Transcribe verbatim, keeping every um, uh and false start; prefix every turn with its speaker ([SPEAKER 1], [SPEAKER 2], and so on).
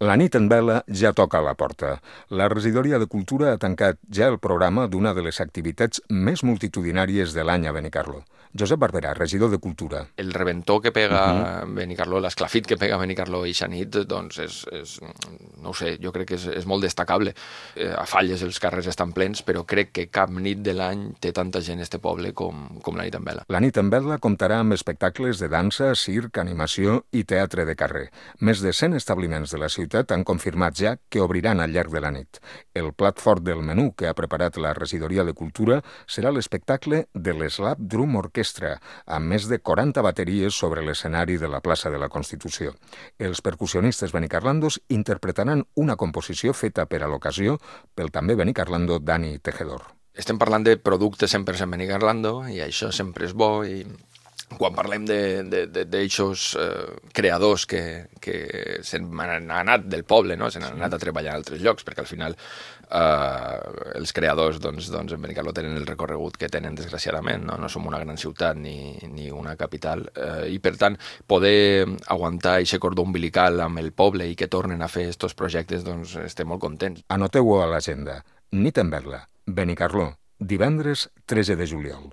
[SPEAKER 1] La nit en vela ja toca a la porta. La regidoria de Cultura ha tancat ja el programa d'una de les activitats més multitudinàries de l'any a Benicarló. Josep Barberà, regidor de Cultura.
[SPEAKER 2] El reventó que pega
[SPEAKER 1] Uh
[SPEAKER 2] uh-huh. Benicarló, l'esclafit que pega Benicarló i nit, doncs és, és, no ho sé, jo crec que és, és molt destacable. Eh, a Falles els carrers estan plens, però crec que cap nit de l'any té tanta gent este poble com, com la nit en vela.
[SPEAKER 1] La nit en vela comptarà amb espectacles de dansa, circ, animació i teatre de carrer. Més de cent establiments de la ciutat han confirmat ja que obriran al llarg de la nit. El plat fort del menú que ha preparat la regidoria de Cultura serà l'espectacle de l'Slap Drum Orchestra, amb més de quaranta bateries sobre l'escenari de la plaça de la Constitució. Els percussionistes benicarlandos interpretaran una composició feta per a l'ocasió pel també benicarlando Dani Tejedor.
[SPEAKER 2] Estem parlant de productes cent per cent Benicarlando i això sempre és bo, i quan parlem d'aixòs eh, creadors que, que se n'han anat del poble, no? Se n'han anat a treballar a altres llocs, perquè al final eh, els creadors doncs, doncs en Benicarló tenen el recorregut que tenen, desgraciadament, no, no som una gran ciutat ni, ni una capital, eh, i per tant poder aguantar aquest cordó umbilical amb el poble i que tornen a fer aquests projectes, doncs estem molt contents.
[SPEAKER 1] Anoteu-ho a l'agenda. Nit en vela, Benicarló, divendres tretze de juliol.